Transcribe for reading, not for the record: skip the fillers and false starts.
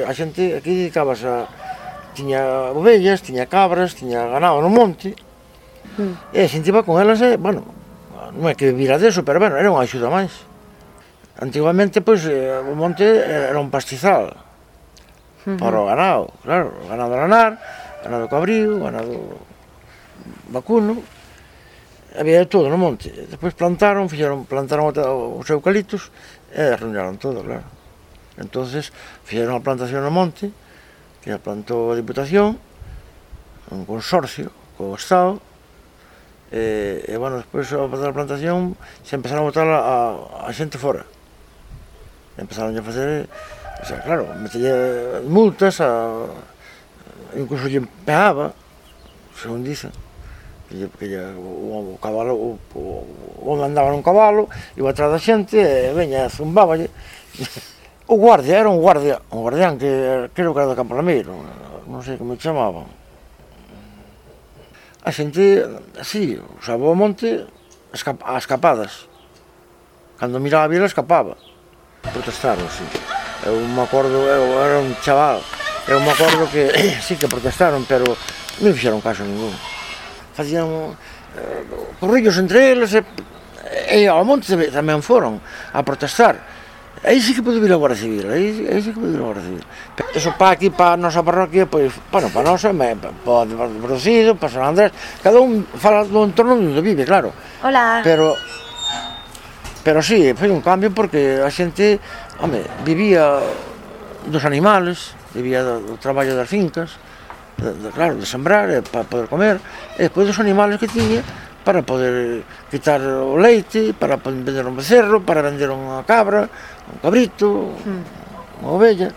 A xente aquí dedicábase a... tiña ovellas, tiña cabras, tiña ganado no monte, e a xente iba con elas, bueno, non é que vivira deso, pero bueno, era unha axuda máis. Antigamente, pois, o monte era un pastizal para o ganado, claro, o ganado lanar, ganado cabrío, ganado vacuno, había todo no monte. Despois plantaron os eucaliptos e arruinaron todo, claro. Entonces fixeron a plantación no monte, que a plantou a Diputación, un consorcio co Estado, e bueno, despois a plantación se empezaron a botar a xente fora. Empezaron a facer, o sea, claro, metelle multas, incluso lle pegaba, según dicen, o cabalo, o andaba nun cabalo, iba atrás da xente e veña, zumbáballe. O guardia, era un guardián que creo que era do Campo Lameiro, non sei como chamaban. A xente, así, usaba o monte a escapadas. Cando miraba a vila escapaba. Protestaron, sí. Eu me acordo, eu era un chaval, eu me acordo que sí que protestaron, pero non fixeron caso ningún. Facían corrillos entre eles e ao monte tamén foron a protestar. Aí sí que pode vir a Guardia Civil, aí sí que pode vir a Guardia Civil. Eso para aquí, para a nosa parroquia, pois, bueno, para a nosa, para o Producido, para San Andrés, cada un fala do entorno onde vive, claro. Hola. Pero sí, foi un cambio porque a xente, home, vivía dos animales, vivía do traballo das fincas, claro, de sembrar, para poder comer, e despois dos animales que tiña, para poder quitar o leite, para vender un becerro, para vender unha cabra, un cabrito, unha ovella.